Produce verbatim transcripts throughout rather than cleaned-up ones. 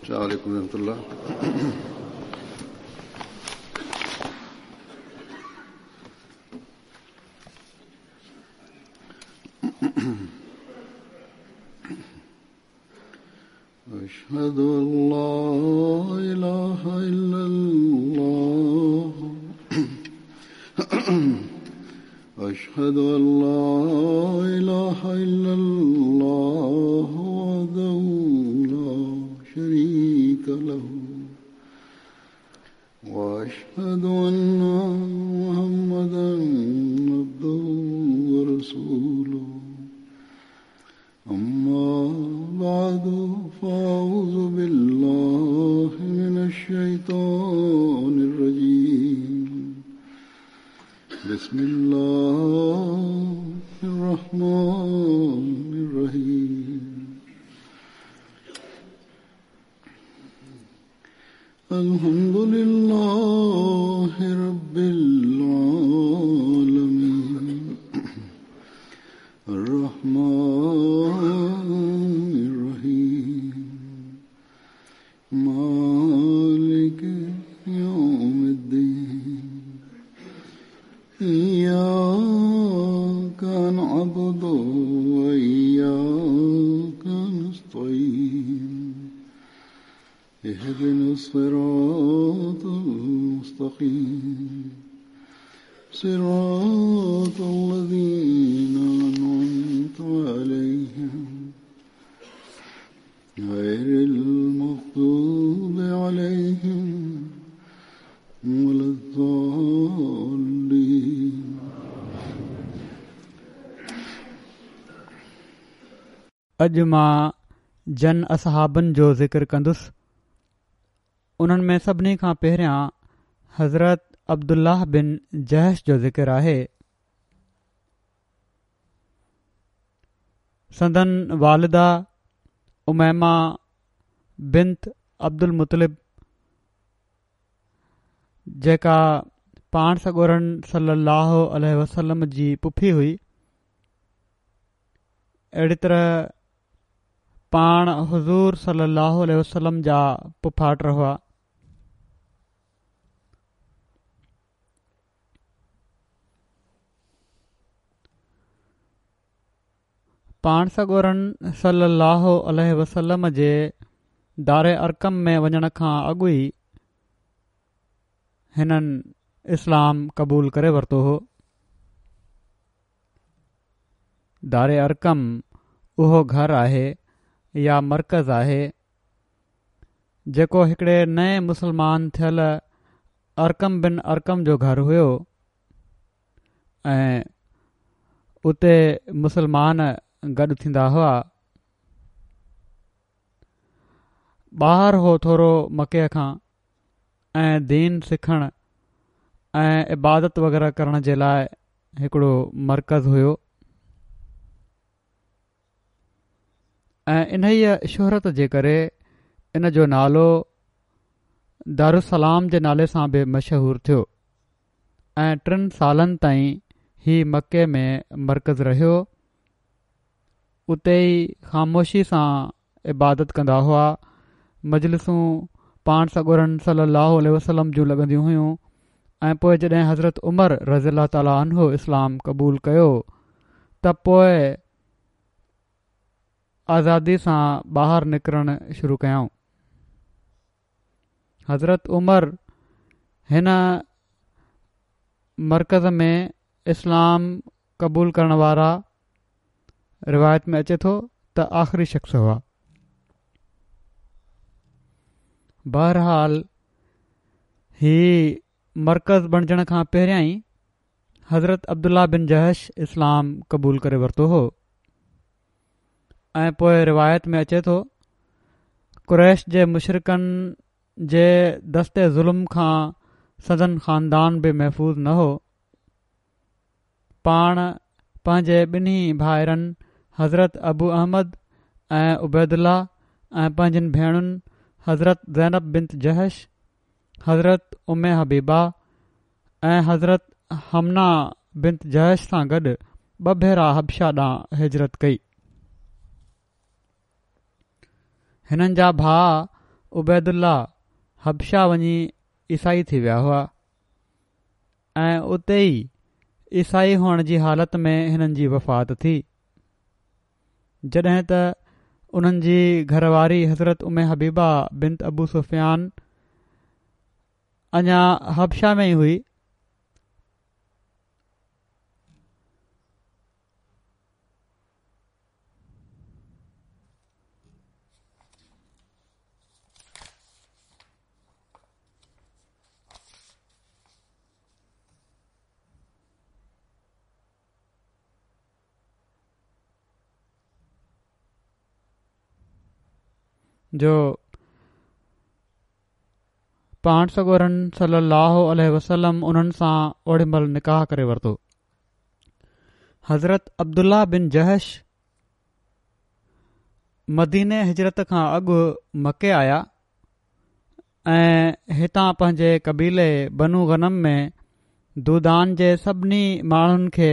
السلام عليكم ورحمة الله. أشهد أن لا إله إلا الله أشهد أن لا إله إلا الله وحده لا شريك له وأشهد أن محمدا عبده ورسوله. أما بعد فأعوذ بالله من الشيطان الرجيم. بسم الله الرحمن الرحيم. الحمد لله رب العالمين الرحمن الرحيم مالك يوم الدين إياك نعبد وإياك نستعين اهدنا الصراط المستقيم صراط الذين أنعمت عليهم غير المغضوب عليهم ولا الضالين. اڄ مان جن اصحابن جو ذڪر ڪندس انهن ۾ سڀني کان پهريان حضرت عبدالله بن جحش جو ذڪر آهي. سندن والده اميمه بنت عبد المطلب جيڪا پاڻ سڳورن صلي الله عليه وسلم جي پڦي هئي، اهڙي طرح پاڻ حضور صلي الله عليه وسلم جا پڦاٽ هئا. پاڻ سڳورن صلي الله عليه وسلم جي دار ارقم ۾ وڃڻ کان اڳ ئي هنن اسلام قبول ڪري ورتو هو. دار ارقم اهو گهر آهي يا مرڪز آهي جيڪو هڪڙي نئين مسلمان ٿيل ارقم بن ارقم جو گهر هيو ۽ اتي مسلمان گڏ ٿيندا هئا. ٻاهر هو ٿورو مڪي کان ۽ دين سکڻ ۽ عبادت وغيره ڪرڻ جي لاءِ هڪڙو مرڪز هيو ۽ انهيءَ شهرت جي ڪري ان جو نالو دارالسلام جي نالي سان به مشهور ٿيو ۽ ٽن سالن تائين هي مڪي ۾ مرڪز رهيو. اتي ئي خاموشي سان عبادت ڪندا هئا. مجلسون پاڻ سڳورن صلي الله عليه وسلم جون لڳنديون هيون ۽ پوءِ جڏهن حضرت عمر رضي الله تعاليٰ عنه اسلام قبول ڪيو ته پوءِ آزادي سان ٻاهر نڪرڻ شروع ڪيائون. حضرت عمر هن مرڪز ۾ اسلام قبول ڪرڻ وارا روايت ۾ اچي ٿو ته آخري شخص هئا. بهرحال هي مرڪز بڻجڻ کان پهريان ئي حضرت عبدالله بن جحش اسلام قبول ڪري ورتو هو ۽ پوءِ روايت ۾ اچي ٿو قريش جي مشرڪن جي دست ظلم کان سندن خاندان به محفوظ نه هو. پاڻ پنهنجي ٻنهي ڀائرن حضرت ابو احمد ۽ عبيدالله ۽ پنهنجن ڀيڻن حضرت زينب بنت جحش، حضرت ام حبيبه ۽ حضرت حمنه بنت جحش سان گڏ ٻه ڀيرا حبشه ڏانهن هجرت ڪئي. هنن جا ڀاءُ عبيدالله حبشه وڃي عيسائي ٿي ويا هئا ۽ اتي ئي عيسائي هئڻ جي حالت ۾ هنن جي وفات ٿي. جڏهن ته انهن جي گهر واري حضرت ام حبيبه بنت ابو سفيان اڃا حبشه ۾ ئي هئي. جو پاڻ سڳورن صلي الله عليه وسلم انهن سان اوڏي مهل نڪاح ڪري ورتو. حضرت عبدالله بن جحش مديني هجرت کان اڳ مڪي آيا ۽ هتان پنهنجي قبيلي بنو غنم ۾ دودان جي سڀني ماڻهن کي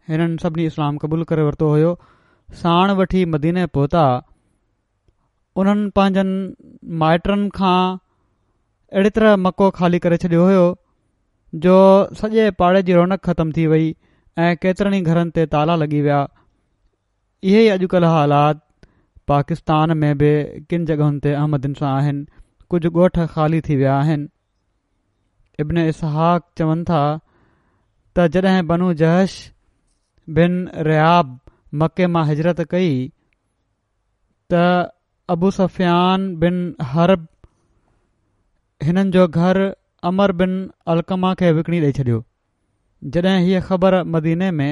هنن سڀني اسلام قبول ڪري ورتو هيو، ساڻ وٺي مديني پهتا. انهن پنهنجن مائٽن کان اهڙي طرح مڪو خالي ڪري ڇڏيو هيو جو سڄي پاڙي جي رونق ختم ٿي وئي ۽ ڪيترن ئي گهرن تي تالا لڳي ويا. اهي ئي اڄڪلهه حالات پاڪستان ۾ به ڪن جڳهن تي احمدين سان آهن. ڪجهه ڳوٺ خالي ٿي ويا آهن. ابن اسحاق چون ٿا ته جڏهن بنو جحش بن رياب مڪي مان هجرت ڪئي ته ابو سفيان بن حرب هنن جو گهر عمرو بن علقمه کي وڪڻي ڏئي ڇڏيو. جڏهن هيء خبر مديني ۾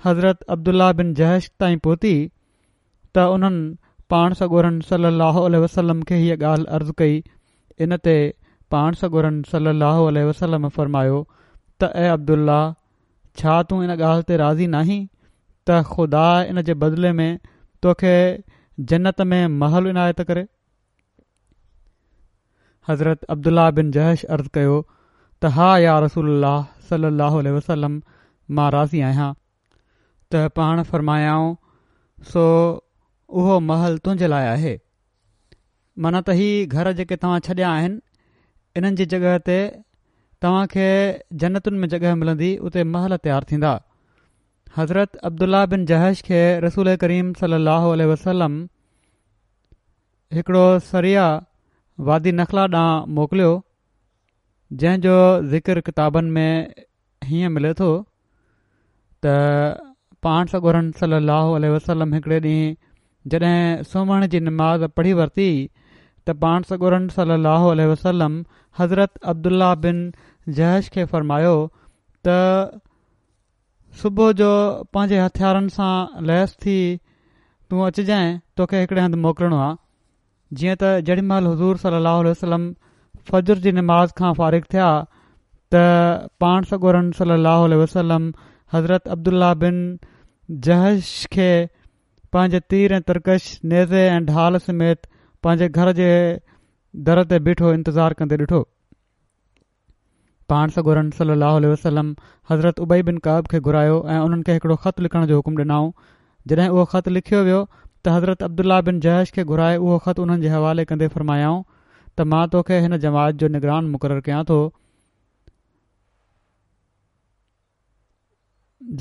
حضرت عبدالله بن جحش تائين پهتي ته انهن پاڻ سڳورن صلي الله عليه وسلم کي هيء ڳالهه عرض ڪئي. ان تي پاڻ سڳورن صلي الله عليه وسلم فرمايو ته اي عبدالله، ڇا تون ان ڳالهه تي راضي ناهين ته خدا ان جي بدلي ۾ توکي جنت ۾ محل عنايت ڪري؟ حضرت عبدالله بن جحش عرض ڪيو ته ها يا رسول الله صلي الله عليه وسلم، مان راضي آهيان. ته پاڻ فرمايائون سو اهو محل تنهنجي لاءِ آهي، معنيٰ ته هي گهر جيڪي توهان ڇڏيا آهن انهن جي جڳهه تي توهان کي جنتن ۾ جڳهه ملندي، اتي محل تيار ٿيندا. حضرت عبدالله بن جحش کي رسول ڪريم صلي الله عليه وسلم هڪڙو سريه وادي نخله ڏانهن موڪليو، جنهن جو ذڪر ڪتابن ۾ هيئن ملي ٿو ته پاڻ سڳورن صلي الله عليه وسلم هڪڙي ڏينهن جڏهن سومهڻ جي نماز پڙهي ورتي ته پاڻ سڳورن صلي الله عليه وسلم حضرت عبدالله بن جحش کي فرمايو ته صبح جو پنهنجي هٿيارن سان ليس ٿي تون اچجانء، توکي هڪڙي هنڌ موڪلڻو آ. جيئن ته جيڏي مهل حضور صلي الله عليه وسلم فجر جي نماز کان فارغ ٿيا ته پاڻ سڳورن صلي الله عليه وسلم حضرت عبدالله بن جحش کي پنهنجي تير ۽ ترڪش، نيزي ۽ ڍال سميت پنهنجي گهر جي در تي بيٺو انتظار ڪندي ڏٺو. پاڻ سڳورن صلي الله عليه وسلم حضرت ابي بن ڪعب کي گهرايو ۽ انهن کي هڪڙو خط لکڻ جو حڪم ڏنائون. جڏهن اهو خط لکيو ويو ته حضرت عبدالله بن جحش کي گهرائي اهو خط انهن جي حوالي ڪندي فرمايائون ته مان توکي هن جماعت جو نگران مقرر ڪيان ٿو،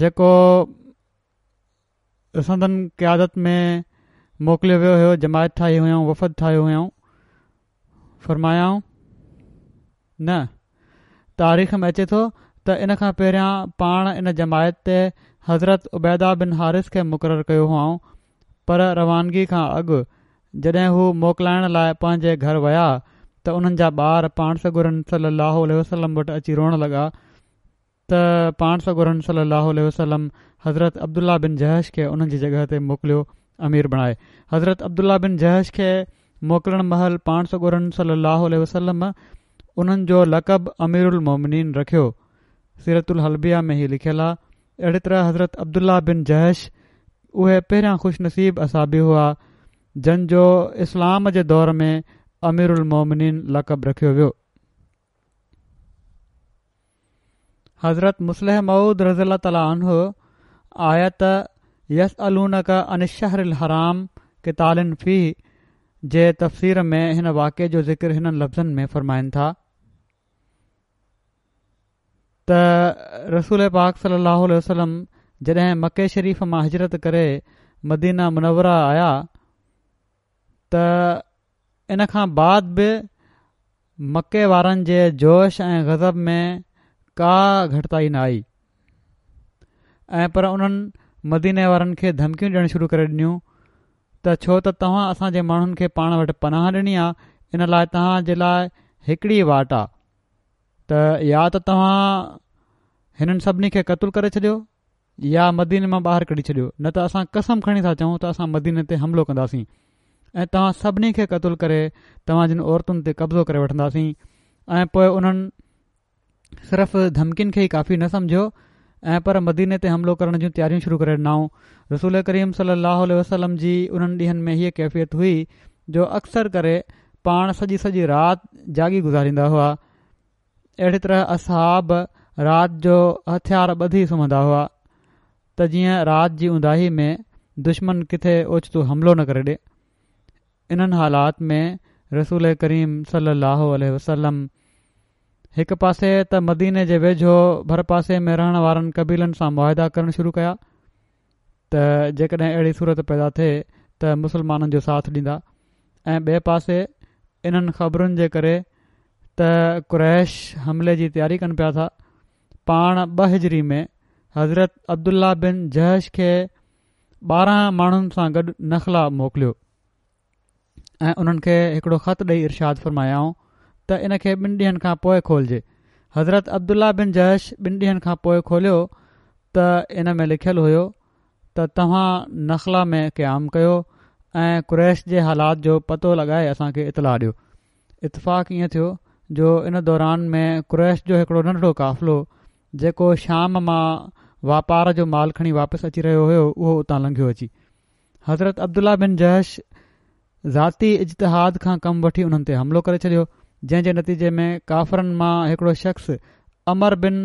جيڪو سندن قيادت ۾ موڪليو ويو هيو، جماعت ٺاهي هيائون، وفد ٺاهيو هيائون. فرمايائون نه، تاريخ ۾ اچي ٿو ته ان کان پهريان پاڻ ان جماعت تي حضرت عبيده بن حارث کي مقرر ڪيو هئائون، پر روانگي کان اڳ جڏهن هو موڪلائڻ لاءِ پنهنجي گهر ويا ته انهن جا ٻار پاڻ سڳورن صلي الله عليه وسلم وٽ اچي روئڻ لڳا ته پاڻ سڳورن صلي الله عليه وسلم حضرت عبدالله بن جحش کي انهن جي جڳهه تي موڪليو امير بڻائي. حضرت عبدالله بن جحش کي موڪلڻ مهل پاڻ سڳورن صلي الله عليه وسلم انهن جو لقب امير المومنين رکيو. سيرت الحلبيه ۾ هي لکيل آ. اهڙي طرح حضرت عبدالله بن جحش اهي پهريان خوش نصيب اصحابي هئا جن جو اسلام جي دور ۾ امير المومنين لقب رکيو ويو. حضرت مصلح موعود رضي الله تعالٰي عنه آيت يسألونڪ عن الشهر الحرام قتال فيه جي تفسير ۾ هن واقعي جو ذڪر هنن لفظن ۾ فرمائن ٿا ته رسول پاڪ صلي الله عليه وسلم جڏهن مڪي شريف مان هجرت ڪري مدينه منوره آيا ته ان کان بعد به مڪي وارن جي جوش ۽ غضب ۾ ڪا گهٽتائي نه آئي ۽ پر انهن مديني وارن کي ڌمڪيون ڏيڻ شروع ڪري ڏنيون ته ڇو ته توهان اسان جي ماڻهن کي پاڻ وٽ پناهه ڏني آ، ان لاء توهان جي لاء هڪڙي واٽ آ ته يا ته توهان هنن سڀني کي قتل ڪري ڇڏيو يا مديني مان ٻاهر ڪڍي ڇڏيو، نه ته اسان قسم کڻي ٿا چئون ته اسان مديني تي حملو ڪنداسين ۽ توهان سڀني کي قتل ڪري توهان جن عورتن تي قبضو ڪري وٺنداسين. ۽ پوء انهن صرف ڌمڪين کي ئي ڪافي نه سمجهيو ۽ پر مديني تي حملو ڪرڻ جون تياريون شروع ڪري ڏنائون. رسول ڪريم صلي الله عليه وسلم جي انهن ڏينهن ۾ هيء ڪيفيت هئي جو اڪثر ڪري پاڻ سڄي سڄي رات جاڳي گذاريندا هئا. اهڙي طرح اصحاب رات جو هٿيار ٻڌي سمهندا هئا ته جيئن رات جي اونداهي ۾ دشمن ڪٿي اوچتو حملو نه ڪري ڏي. انهن حالات ۾ رسول ڪريم صلي الله عليه وسلم هڪ پاسي ته مديني جي ويجهو ڀرپاسي ۾ رهڻ وارن قبيلن سان معاهدا ڪرڻ شروع ڪيا ته جيڪڏهن اهڙي صورت پيدا ٿئي ته مسلمانن جو ساٿ ڏيندا ۽ ٻئي پاسي انهن خبرن جي ڪري ته قريش حملي جي تياري ڪن پيا ٿا، پاڻ ٻه هجري ۾ حضرت عبدالله بن جحش کي ٻارهن ماڻهن سان گڏ نخله موڪليو ۽ انهن کي هڪڙو خط ڏئي ارشاد فرمايائون ته ان کي ٻن ڏينهن کان پوء کولجي. حضرت عبدالله بن جحش ٻن ڏينهن کان پوء کوليو ته ان ۾ لکيل هيو ته توهان نخله ۾ قيام ڪيو ۽ قريش جي حالات جو پتو لڳائي اسان کي اطلاع ڏيو. اتفاق ائين ٿيو جو ان دوران ۾ قريش جو هڪڙو ننڍڙو قافلو جيڪو شام مان واپار جو مال کڻي واپس اچي رهيو هيو اهو اتان لنگهيو اچي. حضرت عبدالله بن جحش ذاتي اجتهاد کان ڪم وٺي انهن تي حملو ڪري ڇڏيو، جنهن جي نتيجي ۾ ڪافرن مان هڪڙو شخص عمرو بن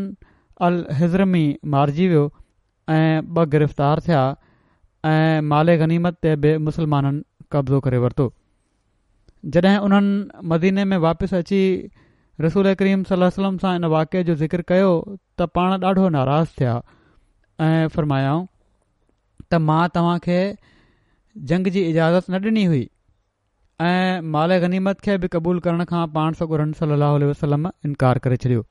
الحضرمي مارجي ويو ۽ ٻه گرفتار ٿيا ۽ مال غنيمت تي به مسلمانن قبضو ڪري ورتو. جڏهن انهن مديني ۾ واپس اچي رسول ڪريم صلي الله عليه وسلم سان ان واقعي جو ذڪر ڪيو ته پاڻ ڏاڍو ناراض ٿيا ۽ فرمايائون ته مان توهان کي جنگ جي اجازت نه ڏني هئي ۽ مال غنيمت کي به قبول ڪرڻ کان پاڻ سڳورن صلي الله عليه وسلم انڪار ڪري ڇڏيو.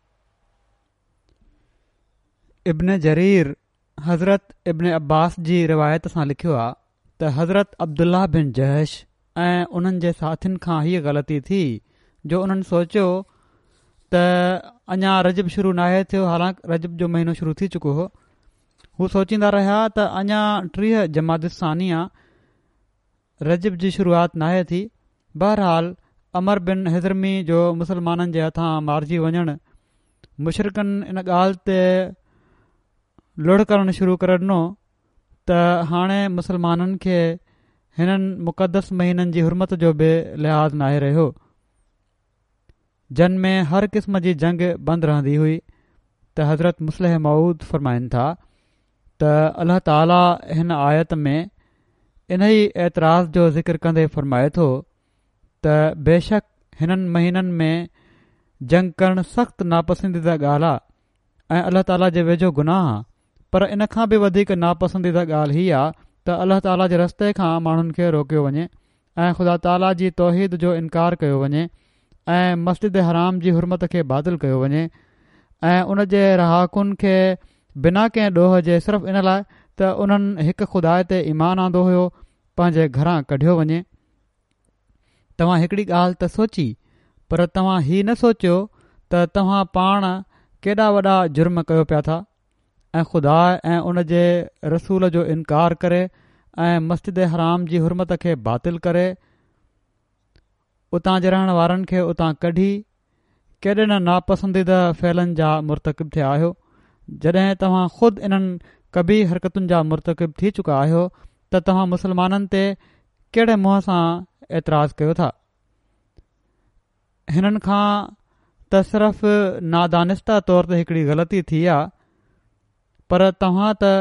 ابن جرير حضرت ابن عباس جي روايت سان لکيو آ ته حضرت عبدالله بن جحش ۽ انهن جي ساٿين کان هيء غلطي ٿي جو انهن سوچيو ته اڃا رجب شروع ناهي ٿيو، حالانڪ رجب جو مهينو شروع ٿي چڪو هو. هو سوچيندا رهيا ته اڃا ٽيهه جمادي الثاني آ، رجب جي شروعات ناهي ٿي. بهرحال عمرو بن حضرمي جو مسلمانن جي هٿان مارجي وڃڻ مشرڪن ان ڳالهه تي لڙ ڪرڻ شروع ڪري ڏنو ته هاڻي مسلمانن کي هنن مقدس مهينن جي حرمت جو به لحاظ ناهي رهيو، جن ۾ هر قسم جي جنگ بند رهندي هئي ته حضرت مصلح موعود فرمائن ٿا ته الله تعالي هن آيت ۾ انهي اعتراض جو ذڪر ڪندي فرمائي ٿو ته بيشڪ هنن مهينن ۾ جنگ ڪرڻ سخت ناپسنديده ڳالهه آ ۽ الله تعالي جي ويجهو گناهه آ، پر ان کان به وڌيڪ ناپسنديده ڳالهه هي آ ته الله تعالي جي رستي کان ماڻهن کي روڪيو وڃي ۽ خدا تعالي جي توحيد جو انڪار ڪيو وڃي ۽ مسجد حرام جي حرمت کي باطل ڪيو وڃي ۽ ان جي رهاڪن کي بنا ڪنهن ڏوهه جي صرف ان لاء ته انهن هڪ خدا تي ايمان آندو هيو پنهنجي گهران ڪڍيو وڃي. توهان هڪڙي ڳالهه ته سوچي پر توهان هي نه سوچيو ته توهان پاڻ ڪيڏا وڏا جرم ڪيو پيا ٿا ۽ خدا ۽ ان جي رسول جو انڪار ڪري ۽ مسجد حرام جي حرمت کي باطل ڪري اتان جي رهڻ وارن کي اتان ڪڍي ڪيڏي نه ناپسنديده فعلن جا مرتڪب ٿيا آهيو. جڏهن توهان خود انهن قبيح حرڪتن جا مرتڪب ٿي چڪا آهيو ته توهان مسلمانن تي ڪهڙي منهن سان اعتراض ڪيو ٿا؟ هنن کان ته صرف نادانسته طور تي هڪڙي غلطي ٿي آ پر توهان ته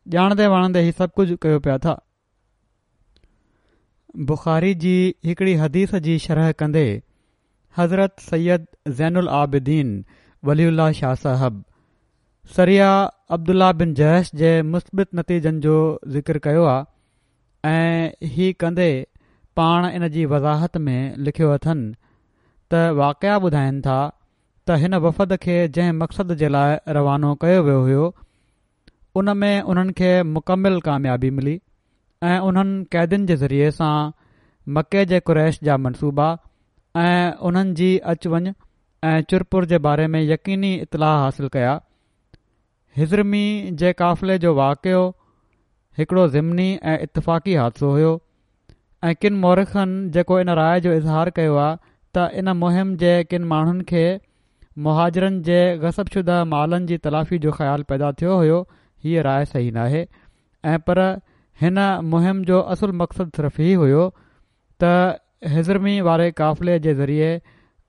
ڄاڻندي واڻندي هي سڀ ڪجهه ڪيو پيا ٿا. بخاري جي هڪڙي حديث جي شرح ڪندي حضرت سيد زين العابدين ولي الله شاهه صاحب سريه عبدالله بن جحش جي مثبت نتيجن جو ذڪر ڪيو آهي ۽ هي ڪندي پاڻ ان جي وضاحت ۾ لکيو اٿن ته واقعا ٻڌائن ٿا ته هن وفد کي جنهن مقصد جي لاء روانو ڪيو ويو هيو ان ۾ انهن کي مڪمل ڪاميابي ملي ۽ انهن قيدين جي ذريعي سان مڪي جي قريش جا منصوبا ۽ انهن جي اچ وڃ ۽ چرپر جي باري ۾ يقيني اطلاع حاصل ڪيا. حضرمي جي قافلي جو واقعو هڪڙو ضمني ۽ اتفاقي حادثو هيو ۽ ڪن مورخن جيڪو ان راءِ جو اظهار ڪيو آهي ته ان مهم جي ڪن ماڻهن کي مهاجرن جي غصب شده مالن جي تلافي جو خيال پيدا ٿيو هيو، هيء راءِ صحيح ناهي ۽ پر هن مهم جو اصل مقصد صرف هي هيو ته حضرمي واري قافلي جي ذريعي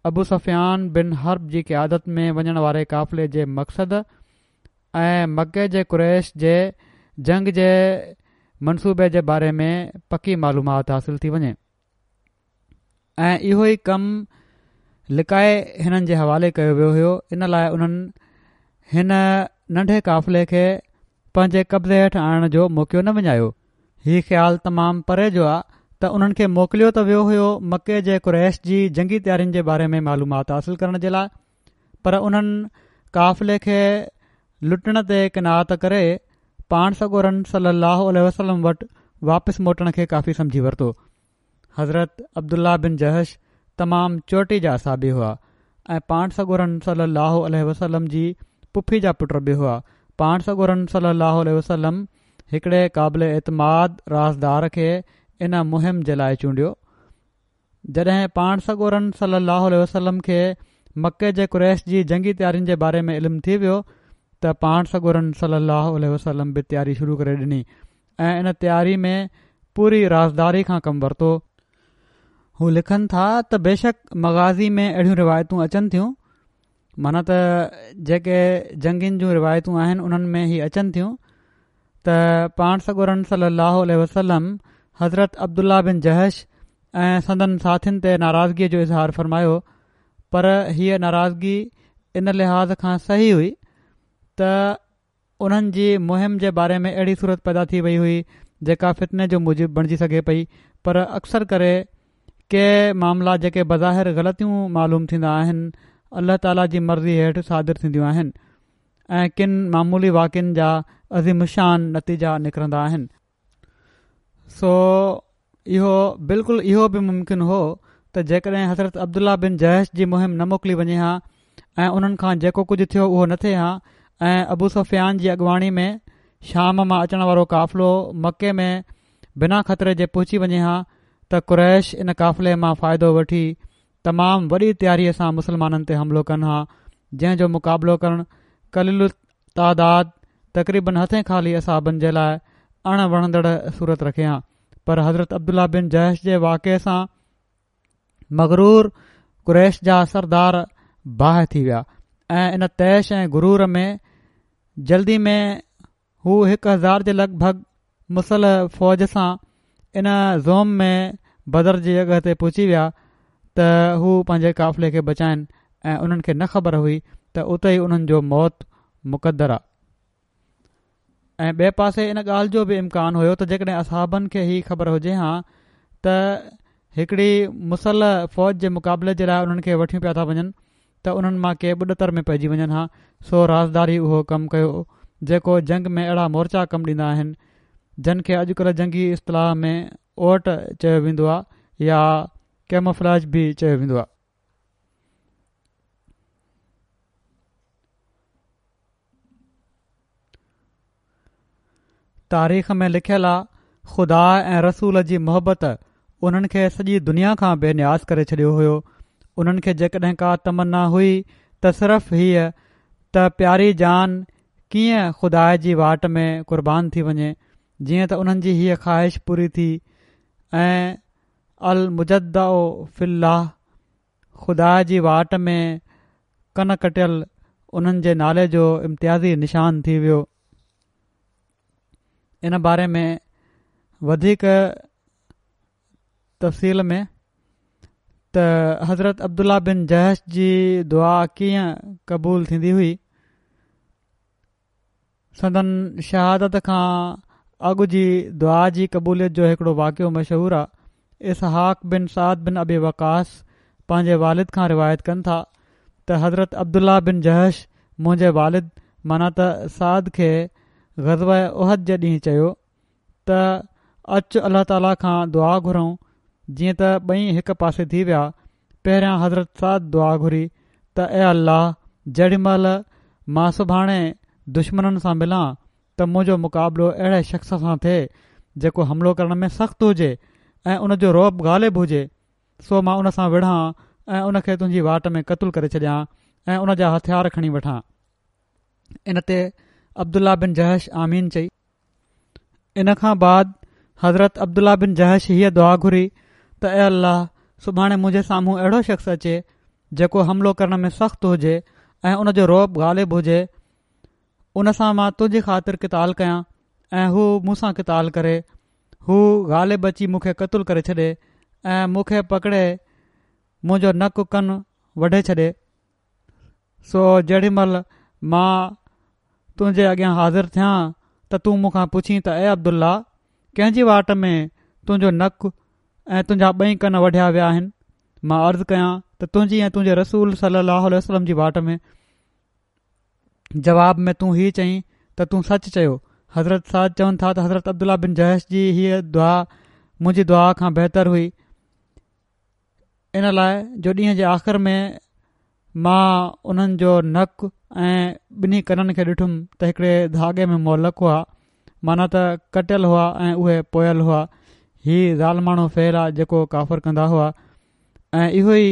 ابو سفيان بن حرب جي قيادت ۾ وڃڻ واري قافلي جي مقصد ۽ مڪي جي قريش جي جنگ جي منصوبي جي باري ۾ پڪي معلومات حاصل ٿي وڃي ۽ اهو ئي ڪم لڪائي هنن جي حوالي ڪيو ويو هيو. ان لاءِ انهن هن ننڍي قافلي کي پنهنجي قبضي هيٺ آڻڻ جو موقعو نه وڃايو. هي خيال تمام پري جو آ ته انهن کي موڪليو ته ويو هيو مڪي جي قريش جي جنگي تيارين جي باري ۾ معلومات حاصل ڪرڻ جي لاءِ، پر انهن قافلي کي لٽڻ تي قناعت ڪري پاڻ سڳورن صلي الله عليه وسلم وٽ واپس موٽڻ کي ڪافي سمجهي ورتو. حضرت عبدالله بن جحش تمام چوٽي جا اصحابي هئا ۽ پاڻ سڳورن صلي الله عليه وسلم جي پڦي جا پٽ به هئا. پاڻ سڳورن صلي الله عليه وسلم هڪڙي قابل اعتماد رازدار کي ان مهم جي لاءِ چونڊيو. جڏهن پاڻ سڳورن صلي الله عليه وسلم کي مڪي جي قريش جي جنگي تيارين جي باري ۾ علم ٿي ويو ته پاڻ سڳورن صلي الله عليه وسلم به تياري شروع ڪري ڏني ۽ ان تياري ۾ پوري رازداري کان ڪم ورتو. هو لکن ٿا ته بيشڪ مغازي ۾ اهڙيون روايتون اچن ٿيون، معنيٰ ته جيڪي جنگين جون روايتون آهن انهن ۾ هي اچن ٿيون ته پاڻ سڳورن صلي الله عليه وسلم حضرت عبدالله بن جحش ۽ سندن ساٿين تي ناراضگيءَ جو اظهار فرمايو، پر هيءَ ناراضگي ان لحاظ کان صحيح هئي ته انهن جي مهم جي باري ۾ اهڙي صورت پيدا ٿي وئي هئي جيڪا فتني جو موجب بڻجي سگهي پئي، پر اڪثر ڪري ڪي معاملا جيڪي بظاهر غلطيون معلوم ٿيندا آهن الله تعاليٰ جي مرضي هيٺ صادر ٿينديون آهن ۽ ڪن معمولي واقعن جا عظيم الشان نتيجا نڪرندا آهن. سو اهو بلڪل اهو به ممڪن هو ته جيڪڏهن حضرت عبدالله بن جحش جي مهم نه موڪلي وڃي ها ۽ انهن کان جيڪو ڪجهه ٿيو اهو نه ٿئي ها ۽ ابو سفيان جي اڳواڻي ۾ شام مان اچڻ وارو قافلو مڪي ۾ بنا خطري جي پهچي وڃي ها ته قريش ان قافلي مان فائدو وٺي تمام وڏي تياريءَ سان مسلمانن تي حملو ڪن ها، جنهن جو مقابلو ڪرڻ قليل التعداد تقريبن هٿين خالي اصحابن جي لاءِ اڻ وڻندڙ صورت رکي ها. پر حضرت عبدالله بن جحش جي واقعي سان مغرور قريش جا سردار باهه ٿي ويا ۽ ان طيش ۽ غرور ۾ جلدي ۾ هو هڪ هزار جي لڳ ڀڳ مسلح فوج سان ان زوم ۾ بدر جي جڳهه تي پهچي ويا ته هو پنهنجي قافلي کي بچائن ۽ انهن کي نه خبر هئي ته اتي ئي انهن جو موت مقدر آ. ۽ ٻئي پاسي ان ڳالهه جو به امڪان هيو ته جيڪڏهن اصحابن کي هي خبر هجي ها ته هڪڙي مسلح فوج جي مقابلي جي لاءِ انهن کي وٺيون پيا ٿا وڃن ته انهن مان ڪي ٻڏتر ۾ پئجي وڃن ها. سو رازداري اهو ڪم ڪيو جيڪو جنگ ۾ اهڙا مورچا ڪم ڏيندا آهن جن کي اڄڪلهه جنگي اصطلاح ۾ اوٽ چيو ويندو آهي يا ڪيموفلاج به چيو ويندو آهي. تاريخ ۾ لکيل آ خدا ۽ رسول جي محبت انهن کي سڄي دنيا کان بي نياز ڪري ڇڏيو هيو. انهن کي جيڪڏهن ڪا تمنا هئي ته صرف هيءَ ته پياري جان ڪيئن خدا جي واٽ ۾ قربان ٿي وڃي، جيئن ته انهن جي هيءَ خواهش پوري ٿي ۽ المجدع في الله خدا جي واٽ ۾ ڪن ڪٽيل انهن جي نالي جو امتيازي نشان ٿي ويو. ان باري ۾ وڌيڪ تفصيل ۾ ته حضرت عبدالله بن جحش جي دعا ڪيئن قبول ٿيندي هئي. سندن شهادت کان اڳ جي دعا جي قبوليت جو هڪڙو واقعو مشهور آهي. اسحاق بن سعد بن ابي وقاص پنهنجي والد کان روايت ڪن ٿا ته حضرت عبدالله بن جحش منهنجي والد معنيٰ ته سعد کي غزوه احد جي ڏينهن چيو ته اچ الله تعاليٰ کان دعا گهرون. جيئن ته ٻئي هڪ پاسي ٿي ويا. پهريان حضرت سعد دعا گهري ته اي الله، جهڙي مهل مان سڀاڻي دشمنن سان ملان ته منهنجو مقابلو اهڙي شخص سان ٿئي جيڪو حملو ڪرڻ ۾ سخت هجي ۽ ان جو رعب غالب هجي، سو مان ان سان وڙهان ۽ ان کي تنهنجي واٽ ۾ قتل ڪري ڇڏيان ۽ ان جا هٿيار کڻي وٺان. ان تي عبدالله بن جحش آمين چئي. ان کان بعد حضرت عبدالله بن جحش هيء دعا گهري ته اي الله، سڀاڻي منهنجي سامهون اهڙو شخص اچي جيڪو حملو ڪرڻ ۾ سخت هجي ۽ ان جو رعب غالب هجي، ان سان مان تنهنجي خاطر قتال ڪيان ۽ هو مون سان قتال ڪري، هو غالب اچي مون کي قتل ڪري ڇڏي ۽ مون کي پڪڙي منهنجو نڪ ڪن وڍي ڇڏي، سو جهڙي مهل مان تنهنجي اڳيان حاضر ٿيان ته تون مون کان پڇين ته اي عبدالله، ڪنهن جي واٽ ۾ تنهنجو نڪ ۽ تنهنجا ٻئي ڪن وڍيا ويا آهن؟ مان عرض ڪيان ته تنهنجي ۽ تنهنجي رسول صلي الله عليه وسلم جي واٽ ۾. جواب ۾ تون هي چئين ته تون سچ چيو. حضرت سعد چون ٿا ته حضرت عبدالله بن جحش جي هيء دعا منهنجي دعا کان بهتر هئي، ان لاء جو ڏينهن جي آخر ۾ مان انهن جو نڪ ۽ ٻنهي ڪنن کي ڏٺم ته هڪڙي ڌاڳي ۾ معلق هئا، معنيٰ ته ڪٽيل هئا ۽ اهي پويل هئا. هي ظالماڻو فعل آ جيڪو ڪافر ڪندا هئا ۽ اهو ئي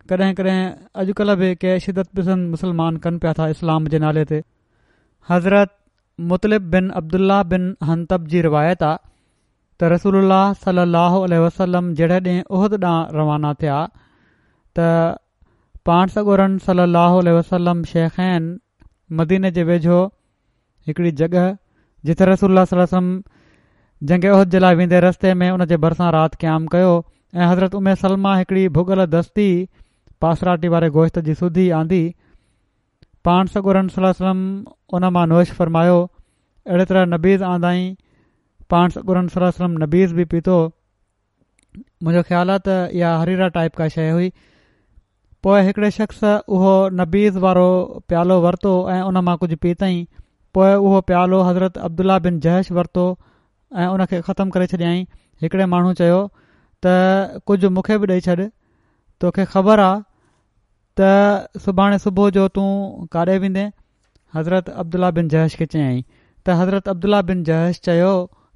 ڪڏهن ڪڏهن اڄڪلهه به ڪي شدت پسند مسلمان ڪن پيا ٿا اسلام جي نالي تي. حضرت مطلب بن عبدالله بن حنطب جي روايت آ ته رسول الله صلي الله عليه وسلم جهڙي ڏينهن احد ڏانهن روانا ٿيا ته پاڻ سڳورن صلي الله عليه وسلم شيخين مديني جي ويجهو هڪڙي جڳهه جتي رسول الله صلي الله عليه وسلم جنگ احد جي لاء ويندي رستي ۾ ان جي ڀرسان رات قيام ڪيو ۽ حضرت ام سلمه هڪڙي ڀڳل دستي پاسراٽي واري گوشت جي سوڌي آندي. پاڻ سڳورن صلي الله عليه وسلم ان مان نوش فرمايو. اهڙي طرح نبيذ آندائين، پاڻ سڳورن صلي الله عليه وسلم نبيذ به پيتو. منهنجو خيال آهي ته اها حريره ٽائيپ ڪا شيء هئي. پوء هڪڙي شخص اهو نبيذ وارو پيالو ورتو ۽ ان مان ڪجهه پيتائين. پوء اهو پيالو حضرت عبدالله بن جحش ورتو ۽ ان کي ختم ڪري ڇڏيائين. هڪڙي ماڻهو چيو ته ڪجهه مون کي به ڏئي ڇڏ، توکي خبر آ ته سڀاڻي صبح جو تون ڪاڏي ويندين؟ حضرت عبدالله بن جحش کي چيائين ته حضرت عبدالله بن جحش چيو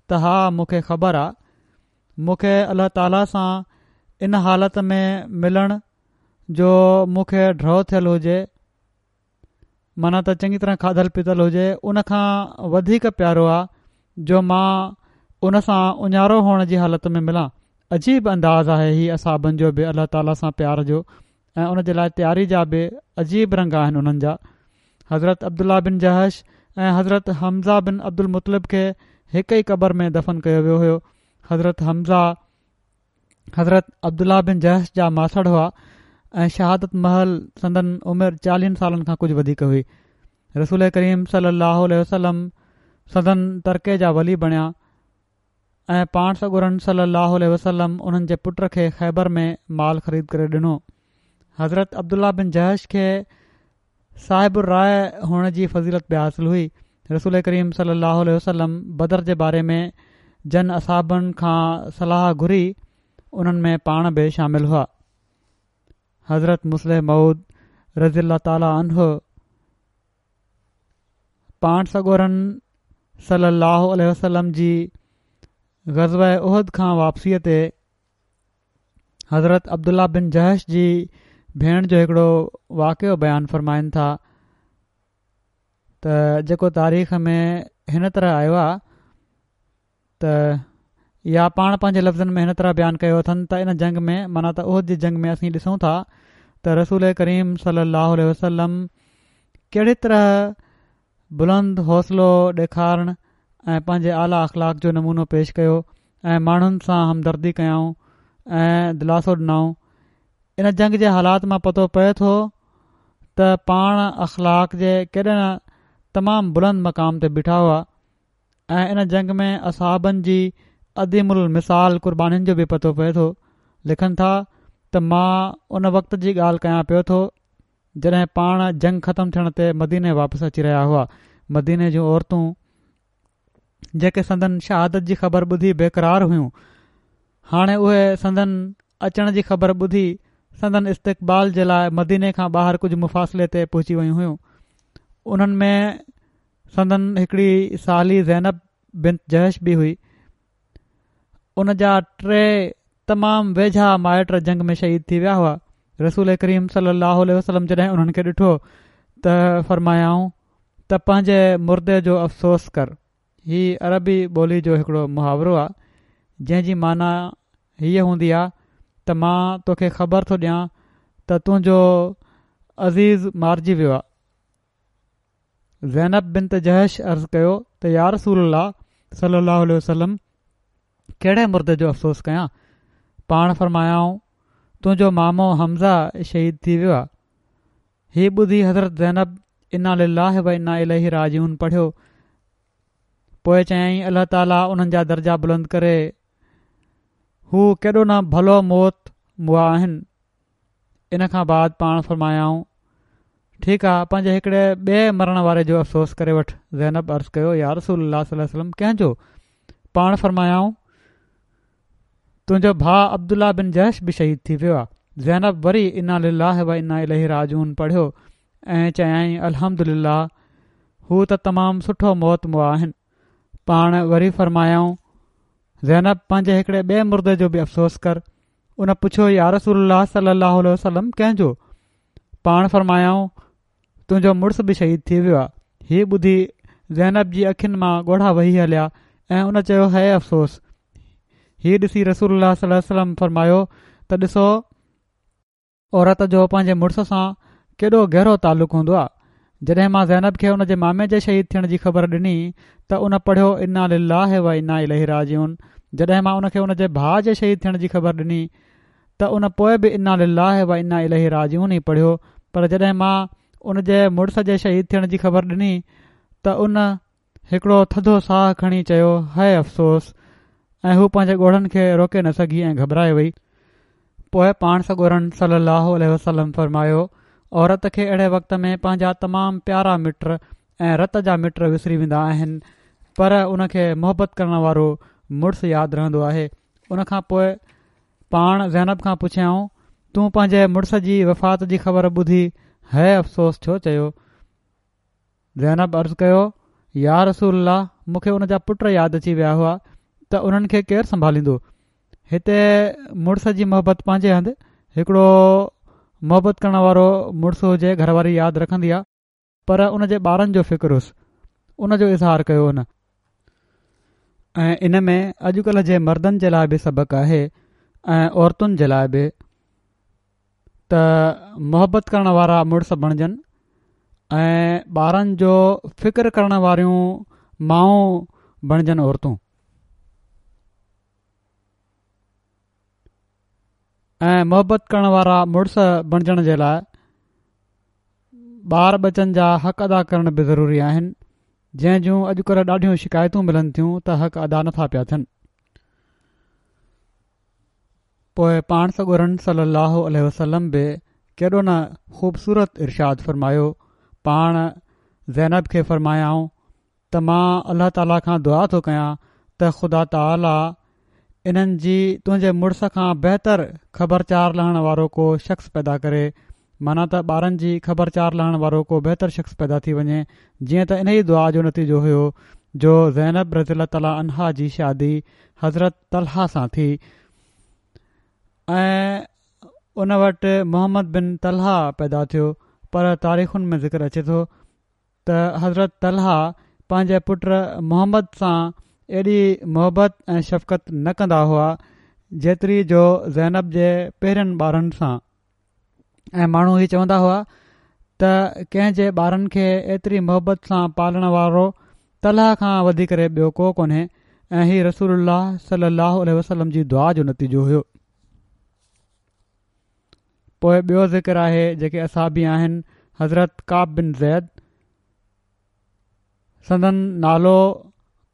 ته ها مون کي خبر آ، مون کي الله تعاليٰ سان ان حالت ۾ ملڻ جو مون کي ڍؤ ٿيل هجي، معنيٰ ته چڱي طرح کاڌل پيتل هجي، ان کان وڌيڪ پيارو آ جو مان ان سان اڃارو هئڻ جي حالت ۾ ملان. عجيب انداز آهي هي اصحابن جو به الله تعاليٰ سان پيار جو ۽ ان جي لاء تياري جا به عجيب رنگ آهن انهن جا. حضرت عبدالله بن جحش ۽ حضرت حمزه بن عبدالمطلب کي هڪ ئي قبر ۾ دفن ڪيو ويو هيو. حضرت حمزه حضرت عبدالله بن جحش جا ماسڙ هئا ۽ شهادت مهل سندن عمر چاليهن سالن کان ڪجهه وڌيڪ هئي. رسول ڪريم صلي الله عليه وسلم سندن ترڪي جا ولي بڻيا ۽ پاڻ سڳورن صلي الله عليه وسلم انهن جي پٽ کي خيبر ۾ مال خريد ڪري ڏنو. حضرت عبدالله بن جحش کي صاحب الراءِ هئڻ جي فضيلت به حاصل هئي. رسول ڪريم صلي الله عليه وسلم بدر جي باري ۾ جن اصحابن کان صلاح گهري انهن ۾ پاڻ به شامل هئا. حضرت مصلح موعود رضي الله تعالٰي عنه پاڻ سڳورن صلي الله عليه وسلم جي غزوه احد کان واپسيء تي حضرت عبدالله بن جحش جي ڀيڻ جو هڪڙو واقعو بيان فرمائن ٿا ته جيڪو تاريخ ۾ هن طرح آيو آهي ته يا پاڻ پنهنجي لفظن ۾ هن طرح بيان ڪيو اٿن ته ان جنگ ۾ معنيٰ ته احد جي جنگ ۾ اسين ڏسون ٿا ته رسول ڪريم صلي الله عليه وسلم ڪهڙي طرح بلند حوصلو ڏيکارڻ ۽ پنهنجي اعليٰ اخلاق جو نمونو پيش ڪيو ۽ ماڻهن سان همدردي ڪيائون. ۽ دلاسو ڏنائون. ان جنگ جي حالات مان پتو پئي ٿو ته پاڻ اخلاق جي ڪيڏي نه تمام بلند مقام تي بيٺا هئا ۽ ان جنگ ۾ اصحابن جي عظيم المثال قربانين جو به پتو پئي ٿو. لکن ٿا ته مان ان وقت جي ڳالهه ڪيان پيو ٿو جڏهن پاڻ جنگ ختم ٿيڻ تي مديني واپس اچي رهيا هئا. مديني جون عورتون جيڪي سندن شهادت جي خبر ٻڌي بيقرار هيون، هاڻي اهي سندن اچڻ جي خبر ٻڌي سندن استقبال جي لاءِ مديني کان ٻاهر ڪجهه مفاصلي تي پهچي ويون هيون. انهن ۾ سندن هڪڙي سالي زينب بنت جحش به هئي. ان جا ٽي تمام ويجها مائٽ جنگ ۾ شهيد ٿي ويا هئا. رسول ڪريم صلي الله عليه وسلم جڏهن انهن کي ڏٺو ته فرمايائون ته پنهنجي مردي جو افسوس ڪر. هي عربي ٻولي جو هڪڙو محاورو آهي جنهن جي معنيٰ هيءَ هوندي آهي ته مان توکي خبر ٿو ڏيان ته تنهنجو عزيز مارجي ويو آهي. زينب بنت جحش عرض ڪيو ته يا رسول الله صلي الله عليه وسلم، ڪهڙي مردي جو افسوس ڪيان؟ پاڻ فرمايائون تنهنجو مامو حمزه شهيد ٿي ويو آهي. هي ٻڌي حضرت زينب انا لله و انا اليه راجعون پڙهيو. پوءِ چيائين الله تعاليٰ انهن جا درجا بلند ڪري، هو ڪيڏو نه ڀلو موت مئا آهن. ان کان بعد پاڻ فرمايائون ٺيڪ آ، پنهنجي هڪڙي ٻئي مرڻ واري جو افسوس ڪري وٺ. زينب عرض ڪيو يا رسول الله صلي الله عليه وسلم، ڪنهن جو؟ پاڻ فرمايائون تنهنجو ڀاءُ عبدالله بن جحش به شهيد ٿي ويو آ. زينب وري انا لله و انا اليه راجعون پڙهيو ۽ چيائين الحمدلله، هو ته تمام سٺو موت مئا آهن. پاڻ وري فرمايائون زينب پنهنجي هڪڙي ٻئي مردي جو به افسوس ڪر. ان پڇيو يا رسول الله صلي الله عليه وسلم، ڪنهن جو؟ پاڻ فرمايائون تنهنجو مڙس به شهيد ٿي ويو آ. هي ٻڌي زينب جي اکين مان ڳوڙها وهي هليا ۽ ان چيو هي افسوس. هي ڏسي رسول الله صلي الله عليه وسلم فرمايو ته ڏسو عورت جو پنهنجي مڙس سان ڪيڏو گهرو تعلق هوندو آ. جڏهن مان زينب کي ان جي مامي جي شهيد ٿيڻ جي خبر ڏني ته ان پڙهيو انا لله و انا اليه راجعون. جڏهن مان ان کي ان جي ڀاءُ جي شهيد ٿيڻ جي خبر ڏني ته ان پوءِ به انا لله و انا اليه راجعون ئي پڙهيو. پر جڏهن مان ان جي مڙس جي شهيد ٿيڻ جي خبر ڏني ته ان هڪڙو ٿڌو ساهه کڻي چيو هي افسوس، ۽ هو پنهنجي ڳوڙهن کي روڪي نه سگهي ۽ گهٻرائي وئي. پوءِ پاڻ سڳورن صلي الله عليه وسلم فرمايو عورت کي اهڙي وقت ۾ پنهنجا تمام پيارا مٽ ۽ رت جا مٽ وسري ويندا آهن، پر ان کي محبت ڪرڻ وارو مڙس ياد رهندو آهي. ان کان پوءِ پاڻ زينب کان پڇيائون تون پنهنجي مڙس جي وفات جي خبر ٻڌي هي افسوس ڇو چيو؟ زينب عرض ڪيو يا رسول الله، مون کي ان جا پٽ ياد اچي ويا هئا ته انهن کي ڪير سنڀاليندو. هتي مڙس جي محبت پنهنجي هنڌ، هڪڙو محبت ڪرڻ وارو مڙس هجي گهر واري ياد رکندي آ، پر ان جي ٻارن جو فڪر هوس، ان جو اظهار ڪيو ان. ۽ ان ۾ اڄڪلهه جي مردن جي لاءِ به سبق آهي ۽ عورتن جي لاءِ به ته محبت ڪرڻ وارا مڙس بڻجن ۽ ٻارن جو فڪر ڪرڻ واريون مائون بڻجن عورتون. ۽ محبت ڪرڻ وارا مڙس بڻجڻ جي لاءِ ٻار ٻچن جا حق ادا ڪرڻ به ضروري آهن، جنهن جون اڄڪلهه ڏاڍيون شڪايتون ملن ٿيون ته حق ادا نٿا پيا ٿين. پوءِ پاڻ سڳورن صلي الله عليه وسلم به ڪيڏو نه خوبصورت ارشاد فرمايو. پاڻ زينب کي فرمايائون ته مان الله تعاليٰ کان دعا ٿو ڪيان ته خدا تعاليٰ انهن جي تنهنجي مڙس کان بهتر خبرچار لهڻ وارو ڪو شخص پيدا ڪري، معنيٰ ته ٻارن جي خبرچار لهڻ وارو ڪو بهتر شخص پيدا ٿي وڃي. جيئن ته انهيءَ دعا جو نتيجو هيو جو زينب رضي الله تعاليٰ عنها جي شادي حضرت طلحه سان ٿي ۽ ان وٽ محمد بن طلحه پيدا ٿيو. پر تاريخن ۾ ذڪر اچي ٿو ته حضرت طلحه پنهنجي پٽ محمد سان ايڏي محبت ۽ شفقت نه ڪندا هئا جيتري جو زينب جي پهرين ٻارن سان. ۽ ماڻهو هي چوندا هئا ته ڪنهن جي ٻارن کي ايتري محبت سان پالڻ وارو طلحه کان وڌي ڪري ٻيو ڪو ڪونهي. ۽ هي رسول الله صلي الله عليه وسلم جي دعا جو نتيجو هيو. پوء ٻيو ذڪر آهي جيڪي اصحابي آهن حضرت ڪعب بن زيد، سندن نالو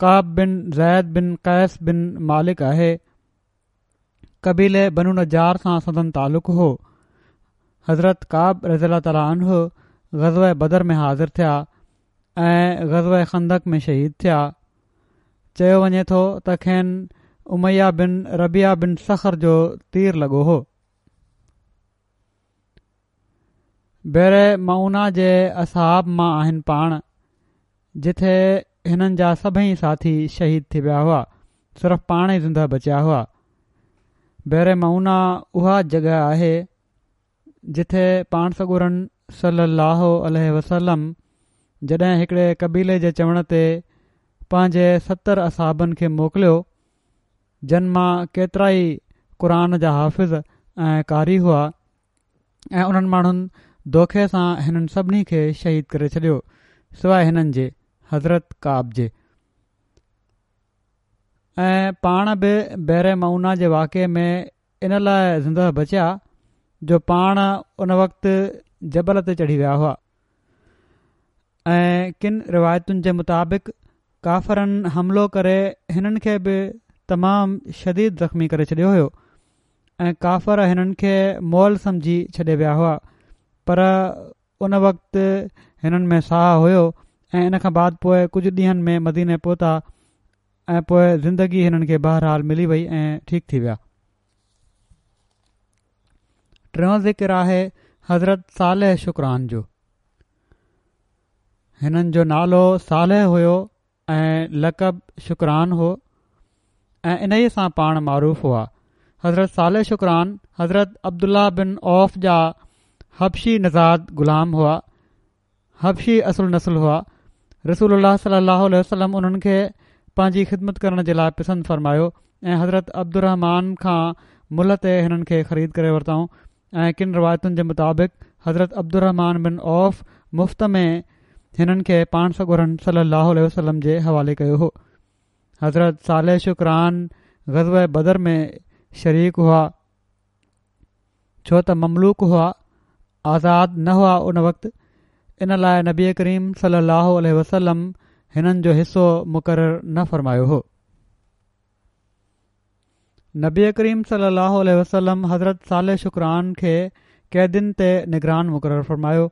ڪعب بن زيد بن قيس بن مالڪ آهي. قبيلي بنو نجار سان سندن تعلق هو. حضرت ڪعب رضي الله تعالٰي عنه غزوه بدر ۾ حاضر ٿيا ۽ غزوه خندق ۾ شهيد ٿيا. چيو وڃي ٿو ته کين اميه بن ربيعه بن صخر جو تير لڳو هو. بئر معونه جي اصحاب مان آهن پاڻ، جٿي هنن جا سڀئي ساٿي شهيد ٿي ويا هئا، صرف پاڻ ئي زنده بچيا هئا. بئر معونه اها جڳهه آهي جٿي پاڻ سڳورن صلي الله عليه وسلم جڏهن هڪڙي قبيلي جي چوڻ تي پنهنجي ستر اصحابن کي موڪليو، جن مان ڪيترائي قرآن جا حافظ ۽ قاري هئا، ۽ انهن ماڻهن دوکي سان هنن سڀني کي شهيد ڪري ڇڏيو سواء هنن جي، حضرت ڪعب جي. ۽ پاڻ به بئر معونه جي واقعي ۾ ان لاء زنده بچيا جو پاڻ ان وقت جبل تي چڙهي ويا هئا. ۽ ڪن روايتن جي مطابق ڪافرن حملو ڪري هنن کي به تمام شديد زخمي ڪري ڇڏيو هيو ۽ ڪافر هنن کي مئل سمجهي ڇڏي ويا هئا، پر ان وقت هنن ۾ ساهه هيو ۽ ان کان بعد پوء ڪجهه ڏينهن ۾ مديني پهتا ۽ پوء زندگي هنن کي بهرحال ملي وئي ۽ ٺيڪ ٿي ويا. ٽيون ذڪر آهي حضرت صالح شڪران جو. هنن جو نالو صالح هيو ۽ لقب شڪران هو ۽ انهيء سان پاڻ معروف هئا. حضرت صالح شڪران حضرت عبدالله بن عوف جا حبشي نژاد غلام هئا، حبشي اصل نسل هئا. رسول الله صلي الله عليه وسلم انهن کي پنهنجي خدمت ڪرڻ جي لاء پسند فرمايو ۽ حضرت عبدالرحمان کان ملهه تي هنن کي خريد ڪري ورتائون ۽ ڪن روايتن جي مطابق حضرت عبدالرحمان بن عوف مفت ۾ هنن کي پاڻ سڳورن صلي الله عليه وسلم جي حوالي ڪيو هو. حضرت صالح شڪران غزوه بدر ۾ شريڪ هئا، ڇو ته مملوڪ هئا، آزاد نه هئا ان وقت، ان لاء نبي ڪريم صلي الله عليه وسلم هنن جو حصو مقرر نه فرمايو هو. نبي ڪريم صلي الله عليه وسلم حضرت صالح شڪران کي قيدين تي نگران مقرر فرمايو.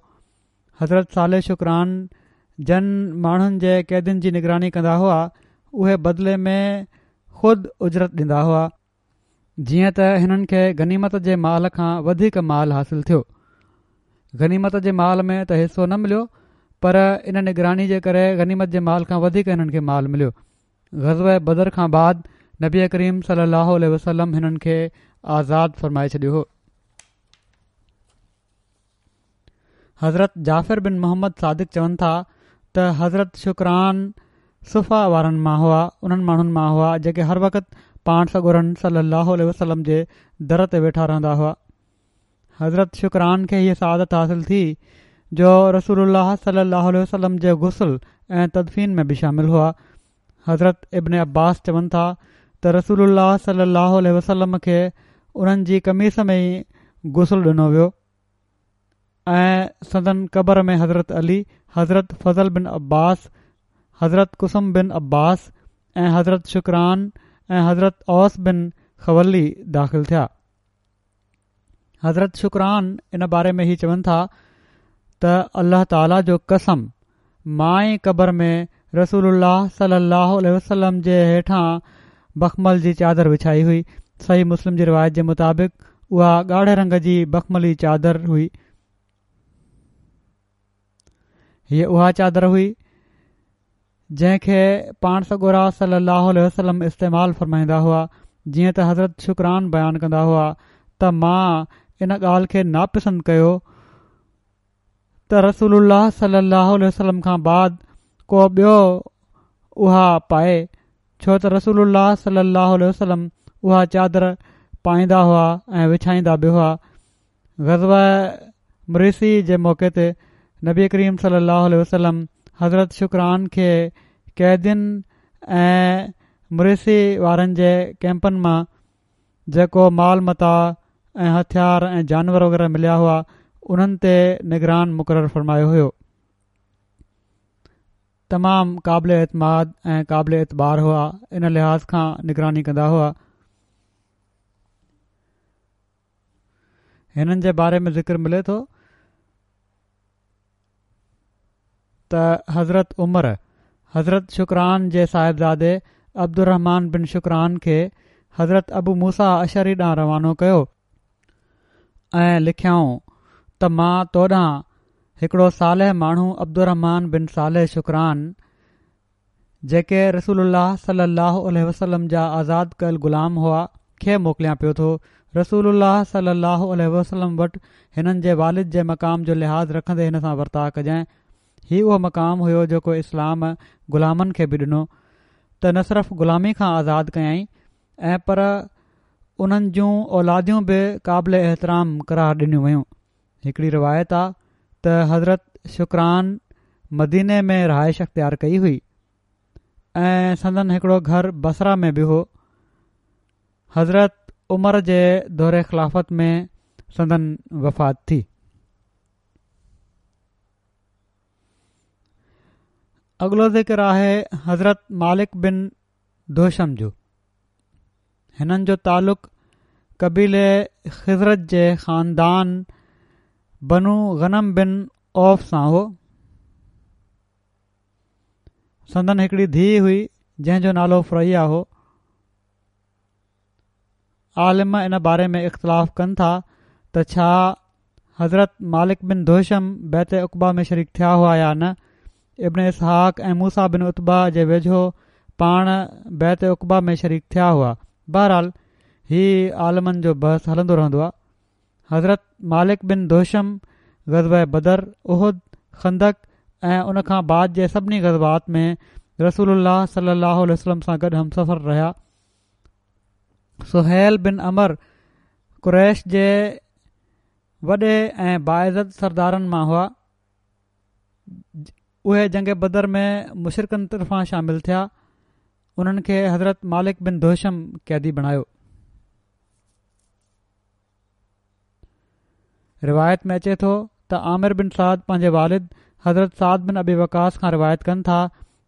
حضرت صالح شڪران جن ماڻهن جي قيدين جي نگراني ڪندا هئا، اهي بدلي ۾ خود اجرت ڏيندا هئا، جيئن ته هنن کي غنيمت جي مال کان وڌيڪ مال حاصل ٿيو. غنيمت جي مال ۾ ته حصو نه مليو، پر ان نگراني جي ڪري غنيمت جي مال کان وڌيڪ هنن کي مال مليو. غزوه بدر کان بعد نبي ڪريم صلي الله عليه وسلم هنن کي آزاد فرمائي ڇڏيو هو. حضرت جعفر بن محمد صادق چون ٿا ته حضرت شڪران صفه وارن مان هئا، انهن ماڻهن مان هئا جيڪي هر وقت پاڻ سڳورن صلي الله عليه وسلم جي در تي ويٺا رهندا هئا. حضرت شڪران کي هيء سعادت حاصل ٿي جو رسول الله صلي الله عليه وسلم جي غسل ۽ تدفين ۾ به شامل هئا. حضرت ابن عباس چون ٿا ته رسول الله صلي الله عليه وسلم کي انهن جي قميص ۾ ئي غسل ڏنو ويو ۽ سندن قبر ۾ حضرت علي، حضرت فضل بن عباس، حضرت قثم بن عباس ۽ حضرت شڪران ۽ حضرت اوس بن خولي داخل ٿيا. حضرت شڪران ان باري ۾ هي چون ٿا ته الله تعاليٰ جو قسم، مان ئي قبر ۾ رسول الله صلي الله عليه وسلم جي هيٺان بخمل جي چادر وڇائي هئي. صحيح مسلم جي روايت جي مطابق اها ڳاڙهي رنگ جي بخملي چادر هئي. هيء اها چادر هئي جنهن کي پاڻ سڳورا صلي الله عليه وسلم استعمال فرمائيندا هئا. جيئن ته حضرت شڪران بيان ڪندا هئا ته مان ان ڳالهه کي ناپسند ڪيو ته رسول الله صلي الله عليه وسلم کان بعد ڪو ٻيو اها پائي، ڇو ته رسول الله صلي الله عليه وسلم اها چادر پائيندا هئا ۽ وڇائيندا به هئا. غزوه مريسيع جي موقعي تي نبي ڪريم صلي الله عليه وسلم حضرت شڪران کي قيدين ۽ مريسيع وارن جي ڪئمپن مان جيڪو مال متاع ۽ هٿيار ۽ جانور وغيره مليا هئا انهن تي نگران مقرر فرمايو هيو. تمام قابل اعتماد ۽ قابل اعتبار هئا، ان لحاظ کان نگراني ڪندا هئا. هنن جي باري ۾ ذڪر ملي ٿو ته حضرت عمر حضرت شڪران جي صاحبزادي عبدالرحمان بن شڪران کي حضرت ابو موسيٰ اشعري ڏانهن روانو ڪيو ۽ لکيائون ته مان تو ڏانهن هڪڙو صالح ماڻهو عبدالرحمان بن صالح شڪران، جيڪي رسول الله صلي الله عليه وسلم جا آزاد ڪيل غلام هئا، کي موڪليان پيو ٿو. رسول الله صلي الله عليه وسلم وٽ هنن جي والد جي مقام جو لحاظ رکندي هن سان ورتاء ڪجانء. هي اهو مقام هيو جيڪو اسلام غلامن کي به ڏنو ته نه صرف غلامي کان آزاد ڪيائين ۽ پر انهن جون اولاديون به قابل احترام قرار ڏنيون ويون. هڪڙي روايت آ ته حضرت شڪران مديني ۾ رهائش اختيار ڪئي هئي ۽ سندن هڪڙو گهر بصره ۾ به هو. حضرت عمر جي دور خلافت ۾ سندن وفات ٿي. اڳلو ذڪر آهي حضرت مالڪ بن دخشم جو. هنن جو تعلق قبيلي خزرج جي خاندان بنو غنم بن عوف سان هو. سندن هڪڙي ڌيء هئي جنهن جو نالو فريا هو. عالم ان باري ۾ اختلاف ڪن ٿا ته ڇا حضرت مالڪ بن دخشم بيعت عقبه ۾ شريڪ ٿيا هئا يا نه. ابن اسحاق ۽ موسيٰ بن عتبه جي ويجهو پاڻ بيعت عقبه ۾ شريڪ ٿيا هئا. بهرحال هي عالمن جو بحث هلندو رهندو آهي. حضرت مالڪ بن دخشم غزوه بدر، احد، خندق ۽ ان کان بعد جي سڀني غزوات ۾ رسول الله صلي الله عليه وسلم سان گڏ همسفر رهيا. سهيل بن عمرو قريش جي وڏي ۽ باعزت سردارن مان هئا. اهي جنگ بدر ۾ مشرڪن طرفان شامل ٿيا. انهن کي حضرت مالڪ بن دخشم قيدي بڻايو. روايت ۾ اچي ٿو ته عامر بن سعد پنهنجي والد حضرت سعد بن ابي وقاص کان روايت ڪن ٿا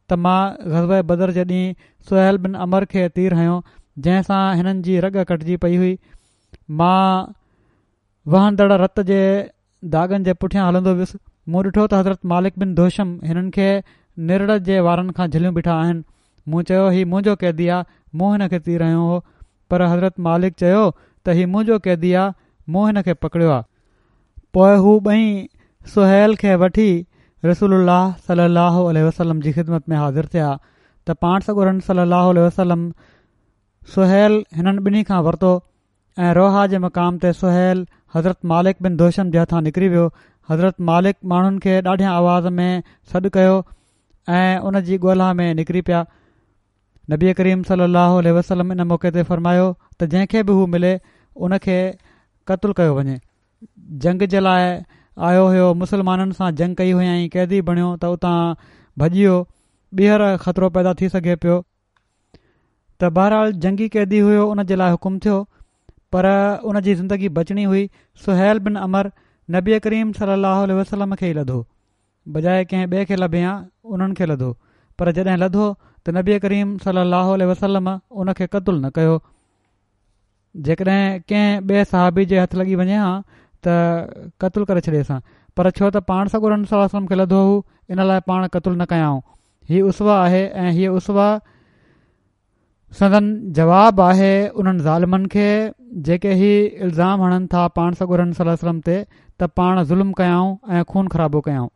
ته مان غزوه بدر جي ڏينهن سهيل بن عمرو کي تير هنيو جنهن سان هنن جي رڳ ڪٽجي پئي هئي. مان وهندڙ رت جي داغن جي پٺيان هلندو ويس. مون ڏٺو ته حضرت مالڪ بن دخشم هنن کي نرڙ جي وارن کان جهليون بيٺا آهن. مون چيو هي منهنجو قيدي آ، مون هن کي تير هنيو هو. پر حضرت مالڪ چيو ته هي منهنجو قيدي آ، مون هن کي پڪڙيو آ. پوءِ هو ٻئي سهيل کي وٺي رسول الله صلي الله عليه وسلم جي خدمت ۾ حاضر ٿيا ته پاڻ سڳورن صلي الله عليه وسلم سهيل هنن ٻنهي کان ورتو ۽ روحا جي مقام تي سهيل حضرت مالڪ بن دخشم جي هٿان نڪري ويو. حضرت مالڪ ماڻهن کي ڏاڍيان آواز ۾ سڏ ڪيو ۽ ان جي ڳولا ۾ نڪري پيا. نبي ڪريم صلي الله عليه وسلم ان موقعي تي فرمايو ته جنهن کي به هو ملي ان کي قتل ڪيو وڃي. جنگ جي لاءِ آيو هيو، مسلمانن سان جنگ ڪئي هئائين، قيدي بڻيو ته اتان ڀڄي ويو، ٻيهر خطرو پيدا ٿي سگهي پيو ته بهرحال جنگي قيدي هيو، ان جي لاءِ حڪم ٿيو پر ان جي زندگي بچڻي هئي. سهيل بن عمرو نبي ڪريم صلي الله عليه وسلم کي ئي لڌو، بجاءِ ڪنهن ٻئي کي لڀي ها انهن کي لڌو، پر جڏهن لڌو ته نبي ڪريم صلي الله عليه وسلم ان کي قتل نه ڪيو. جيڪڏهن ڪنهن ٻئي صحابي جي هٿ لڳي وڃي ها ته قتل ڪري ڇڏيس ها، پر ڇو ته پاڻ سڳورن صلي الله عليه وسلم کي لڌو هو ان لاءِ پاڻ قتل نه ڪيائون. هي اسوه آهي ۽ هيءَ اسوه سندن جواب آهي انهن ظالمن کي جيڪي هي الزام هڻن ٿا پاڻ سڳورن صلي الله عليه وسلم تي ته پاڻ ظلم ڪيائون ۽ خون خرابو ڪيائون.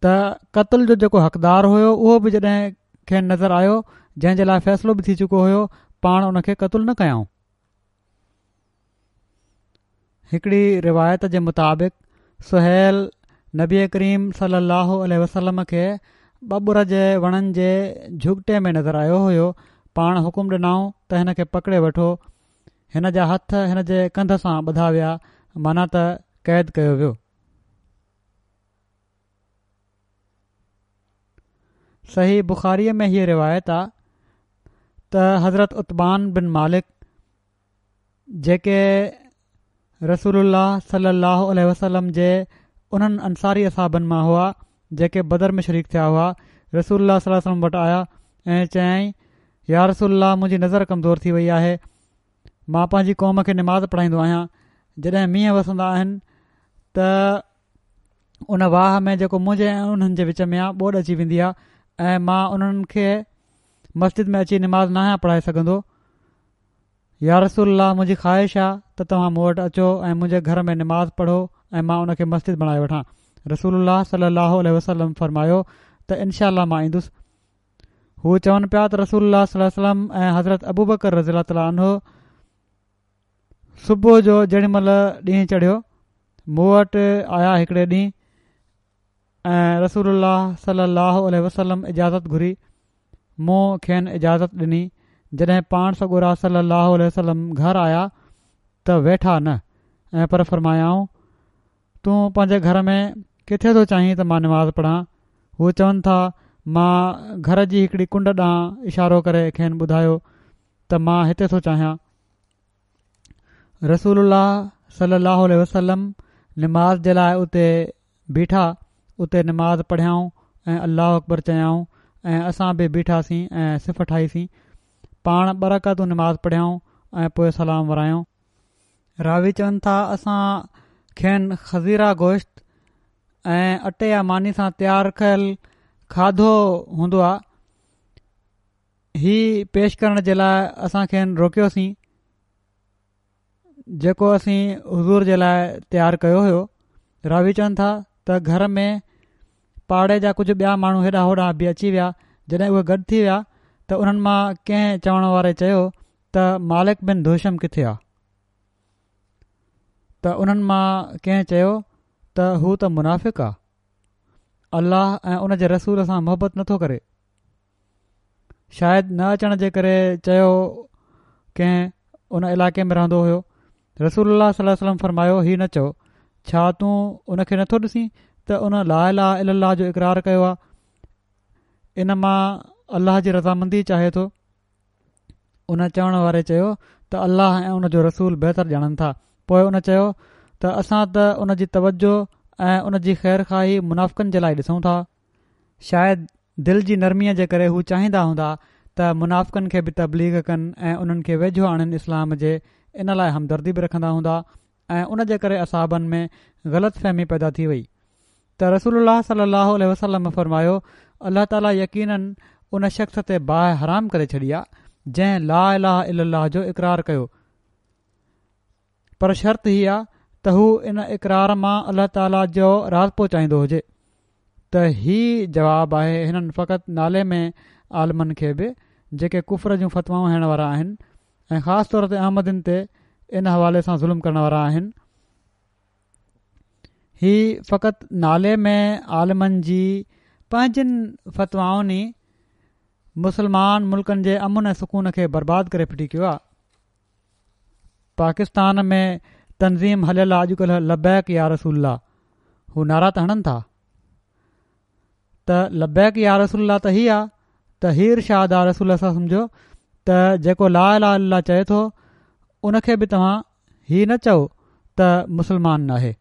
ته قتل جو جيڪو حقدار هيو اهو به جڏهن کين نظر آيو جنهن جي لاءِ فيصلو به ٿي چڪو هيو پاڻ ان کي قتل نه ڪيائون. هڪڙي روايت جي مطابق سهيل نبي ڪريم صلي الله عليه وسلم کي ٻٻر جي وڻن جي جهڳٽي ۾ نظر آيو هيو. پاڻ حڪم ڏنائون ته هن کي پڪڙي وٺو. هن جا هٿ هن جي ڪنڌ سان ٻڌا ويا، معنيٰ ته قيد ڪيو ويو. صحيح بخاريءَ ۾ هيءَ روايت آ ته حضرت عتبان بن مالڪ جيڪي رسول الله صلي الله عليه وسلم جي انهن انصاري اصحابن مان هئا جيڪي بدر ۾ شريڪ ٿيا هئا، رسول الله صلي الله عليه وسلم وٽ آيا ۽ چيائين يا رسول الله منهنجي نظر ڪمزور ٿي وئي آهي، مان پنهنجي قوم کي نماز پڙهائيندو آهيان، جڏهن مينهن وسندا آهن ته ان واهه ۾ جيڪو منهنجي ۽ انهن جي وچ ۾ آهي ٻوڏ اچي ويندي آهي ۽ مان انهن کي مسجد ۾ اچي نماز ناهيان پڙهائي سگهندو. يا رسول الله منهنجي خواهش آهي ته توهان مون وٽ اچو ۽ منهنجي گهر ۾ نماز پڙهو ۽ مان ان کي مسجد بڻائي وٺان. رسول الله صلي الله عليه وسلم فرمايو ته انشاء الله مان ايندس. هو چون پيا ته رسول الله صلي الله عليه وسلم ۽ حضرت ابوبڪر رضي الله تعالٰي عنه صبح جو جيڏي مهل ڏينهن چڙهيو مون وٽ آيا هڪڙي ڏينهن ۽ رسول الله صلي الله عليه وسلم اجازت گهري، مون کين اجازت ڏني. جڏهن پاڻ سڳورا صلي الله عليه وسلم گهر آيا ته ويٺا نه ۽ پر فرمايائون تون پنهنجي گهر ۾ ڪٿي ٿو چاهين ته مان نماز پڙهان؟ هو چون ٿا مان گهر جي هڪڙي ڪنڊ ڏانهن اشارو ڪري کين ٻڌايو ته مان هتي ٿو چاهيان. رسول الله صلي الله عليه وسلم نماز جي لاء اتي بيٺا، اتي نماز پڙهيائون ۽ الله اڪبر چيائون ۽ اسان به بيٺاسين ۽ صف ٺاهيسين. پاڻ ٻه رڪعتون نماز پڙهيائون ۽ پوء سلام ورايائون. راوي چون ٿا اسان کين خزيره گوشت ۽ اٽي يا ماني سان تيار ڪيل کاڌو هوندو آ، هي پيش ڪرڻ جي لاء اسان کين روڪيوسين جيڪو اسين حضور جي لاء تيار ڪيو هيو. راوي چون ٿا ته گهر ۾ پاڙي جا ڪجهه ٻيا ماڻهو هيڏانهن هوڏانهن به اچي ويا. جڏهن اهي گڏ ٿي ويا ته انهن مان ڪنهن چوڻ واري چيو ته مالڪ بن دخشم ڪٿي آ؟ ته انهن مان ڪنهن چيو ته هو ته منافق آ، الله ۽ ان جي رسول سان محبت نٿو ڪري. شايد نه اچڻ جي ڪري چيو ڪنهن ان علائقي ۾ رهندو هيو. رسول الله صلي الله عليه وسلم فرمايو هي نه چئو، ڇا تون ان کي نٿو ڏسين ته ان لا اله الا الله جو اقرار ڪيو آ، ان مان الله جي رضامندي چاهي ٿو. ان چوڻ واري چيو ته الله ۽ ان جو رسول بهتر ڄاڻن ٿا. پوء ان چيو ته اسان ته ان جي توجه ۽ ان جي خير خواهي منافقن جي لاء ڏسون ٿا. شايد دل جي نرميء جي ڪري هو چاهيندا هوندا ته منافقن کي به تبليغ ڪن ۽ انهن کي ويجهو آڻين اسلام جي، ان لاء همدردي به رکندا هوندا ۽ ان جي ڪري اصحابن ۾ غلط فهمي پيدا ٿي وئي ته رسول الله صلي الله عليه وسلم فرمايو الله تعاليٰ يقيناً ان شخص تي باهه حرام ڪري ڇڏي آ جنهن لا اله الا الله جو اقرار ڪيو، پر شرط هي آ ته هو ان اقرار مان الله تعاليٰ جو راضپو چاهيندو هجي. ته هي جواب آهي هنن فقط نالي ۾ عالمن کي به جيڪي ڪفر جون فتوائون هڻڻ وارا آهن ۽ خاص طور تي احمدين تي ان حوالي سان ظلم ڪرڻ وارا آهن. هي فقط نالي ۾ عالمن جي پنهنجين فتوائن ئي مسلمان ملڪن جي امن ۽ سڪون کي برباد ڪري ڦٽي ڪيو آهي. پاڪستان ۾ تنظيم هليل آ اڄڪلهه لبيڪ يا رسول الله هو نعرا ته هڻن ٿا ته لبيڪ يا رسول الله ته هي آ ته هي ارشاد آ رسول الله صلي الله عليه وسلم جو ته جيڪو لا اله الا الله چئي ٿو ان کي به توهان هي نه چئو ته مسلمان ناهي،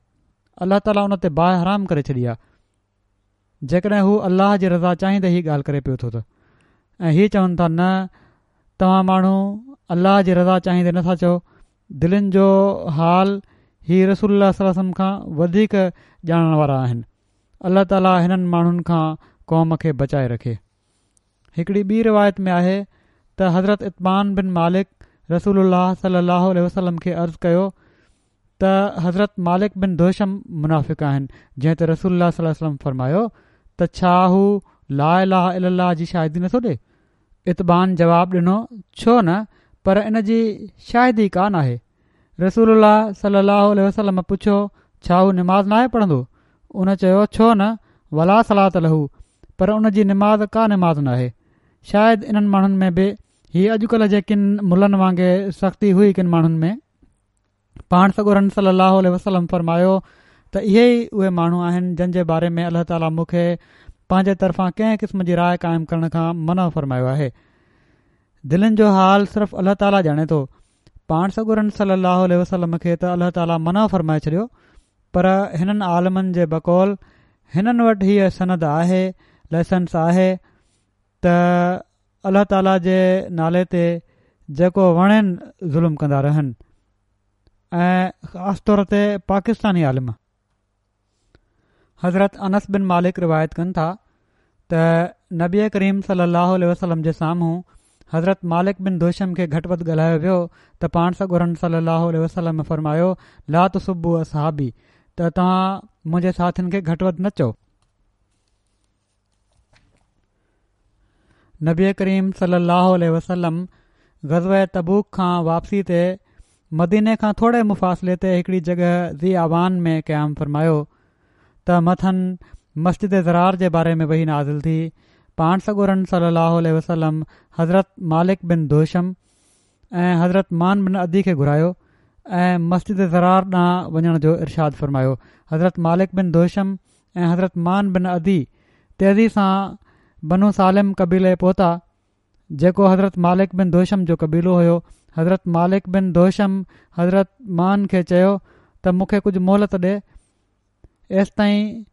الله تعاليٰ ان تي باهه حرام ڪري ڇڏي آ جيڪڏهن هو الله جي رضا چاهيندي هي ڳالهه ڪري پيو ٿو ته ۽ هي چون ٿا نه توهان ماڻهو الله جي رضا چاهيندي نٿا چئو، دلين جو حال هي رسول الله صلي الله عليه وسلم کان وڌيڪ ڄاڻڻ وارا آهن. الله تعاليٰ هنن ماڻهن کان قوم کي بچائي رکي. هڪڙي ٻي روايت ۾ آهي ته حضرت عتبان بن مالڪ رسول الله صلي الله عليه وسلم کي عرض ڪيو ته حضرت مالڪ بن دخشم منافق آهن، جنهن تي رسول الله صلي الله عليه وسلم فرمايو ته ڇا هو لا اله الا الله جي شاهدي نٿو ڏي؟ عتبان جواب ڏنو ڇو نه، پر ان جي شاهدي ڪا ناهي. رسول الله صلي الله عليه وسلم پڇيو ڇا هو نماز ناهي پڙهندو؟ ان چيو ڇو نه، ولا صلاة له، پر ان جي نماز ڪا نماز ناهي. شايد انهن ماڻهن ۾ به هي اڄڪلهه جي ڪن ملن وانگي سختي هئي ڪن ماڻهن ۾. پاڻ سڳورن صلي الله عليه وسلم فرمايو ته اهي ئي اهي ماڻهو آهن جن جي باري ۾ الله تعاليٰ مون کي پنهنجي طرفان ڪنهن قسم جي راء قائم ڪرڻ کان منع فرمايو آهي. دلين جو حال صرف الله تعاليٰ ڄاڻي ٿو. پاڻ سڳورن صلي الله عليه وسلم کي ته الله تعاليٰ منع فرمائي ڇڏيو، پر هنن عالمن جي بقول هنن وٽ هيء سند آهي، لائسنس آهي ته الله تعاليٰ جي نالي تي جيڪو وڻين ظلم ڪندا رهن، ۽ خاص طور تي پاڪستاني عالم. حضرت انس بن مالڪ روايت ڪن ٿا ته نبي ڪريم صلي الله عليه وسلم جي سامهون حضرت مالڪ بن دوشم کي گهٽ وڌ ڳالهايو ويو ته پاڻ سڳورن صلي الله عليه وسلم فرمايو، لا تسبوا اصحابي، ته توهان منهنجي ساٿين کي گهٽ وڌ نه چئو. نبي ڪريم صلي الله عليه وسلم غزوه تبوڪ کان واپسي تي مديني کان ٿوري مفاصلي تي هڪڙي جڳهه ذي اعوان ۾ قيام فرمايو ته مٿن مسجد ضرار جي باري ۾ وحي نازل ٿي. پاڻ سڳورن صلي الله عليه وسلم حضرت مالڪ بن دوشم ۽ حضرت مان بن عدي کي گهرايو ۽ مسجد ضرار ڏانهن وڃڻ جو ارشاد فرمايو. حضرت مالڪ بن دوشم ۽ حضرت مان بن عدي تيزي سان بنو سالم قبيلي پهتا، جيڪو حضرت مالڪ بن دوشم جو قبيلو هيو. حضرت مالڪ بن دوشم حضرت مان کي چيو ته مون کي ڪجهه مهلت ڏي ايستائين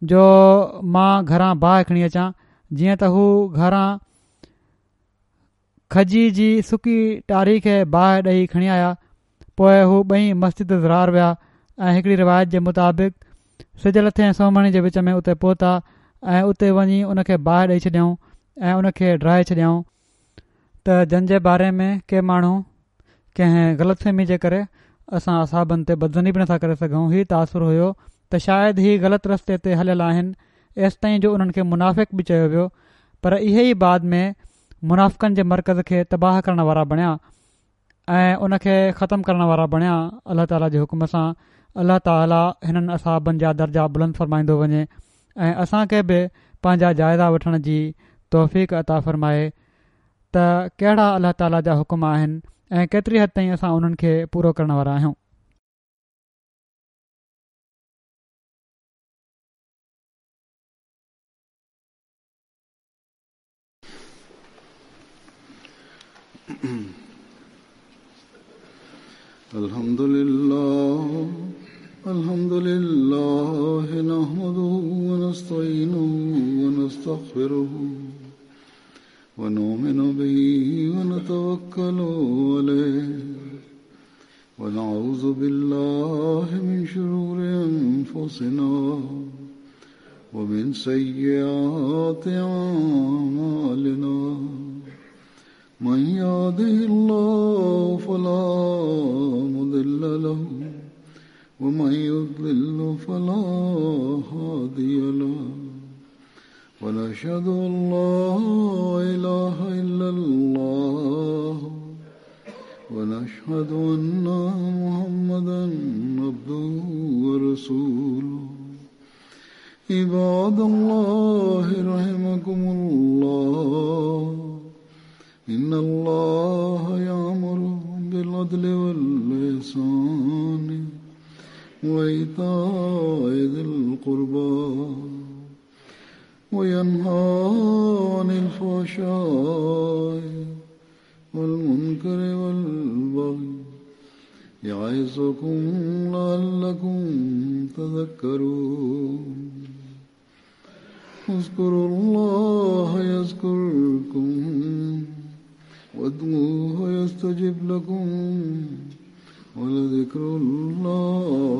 جو مان گهران باهه کڻي اچان. جيئن ته هو گهران کجي جي سڪي ٽاري کي باهه ڏئي کڻي آيا. پوءِ هو ٻئي مسجد ضرار ويا ۽ هڪڙي روايت جي مطابق سج لٿي ۽ سومهڻي جي وچ ۾ اتي پهتا ۽ اتي وڃي ان کي باهه ڏئي ڇڏيائون ۽ ان کي ڊاهي ڇڏيائون. ته جن جي باري ۾ ڪي ماڻهو ڪنهن غلط فهمي جي ڪري اسان اصحابن تي بدظني به نٿا ڪري سگهون، هي تاثر هيو ته شايد هي غلط رستي تي هليل آهن، ايستائين جو انهن کي منافق به چيو ويو، پر اهي ئي بعد ۾ منافقن جي مرڪز کي تباهه ڪرڻ وارا بڻيا ۽ ان کي ختم ڪرڻ وارا بڻيا. الله تعاليٰ جي حڪم سان الله تعاليٰ هنن اصحابن جا درجا بلند فرمائيندو وڃي ۽ اسان کي به پنهنجا جائزا وٺڻ جي توفيق عطا فرمائي ته ڪهڙا الله تعاليٰ جا حڪم آهن ۽ ڪيتري حد تائين اسان انهن کي پورو ڪرڻ وارا آهيون. الحمد لله الحمد لله نحمده ونستعينه ونستغفره ونؤمن به ونتوكل عليه ونعوذ بالله من شرور أنفسنا ومن سيئات أعمالنا من يهده الله فلا مضل له ومن يضلل فلا هادي له ونشهد أن لا إله إلا الله ونشهد أن محمدا عبده ورسوله. عباد الله رحمكم الله، إن الله يأمر بالعدل والإحسان وإيتاء ذي القربى وينهى عن الفحشاء والمنكر والبغي يعظكم لعلكم تذكرون. اذكروا الله يذكركم وادعوه يستجب لكم ولذكر الله